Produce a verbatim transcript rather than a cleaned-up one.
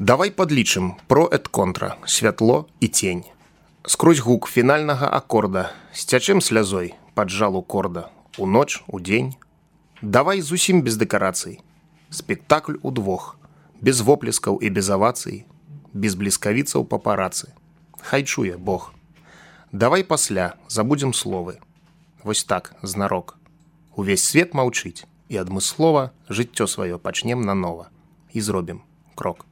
Давай падлічым про эт контра, святло і цень. Скрозь гук фінальнага акорда сцячым слязой пад жалу корда. У ноч, у дзень. Давай зусім без дэкарацый. Спектакль удвох, без воплескаў і без авацый, без бліскавіцаў папарацы. Хай чуе Бог. Давай пасля забудзем словы. Вось так, знарок. Увесь свет маўчыць, і адмыслова жыццё сваё пачнем нанова. І зробім крок.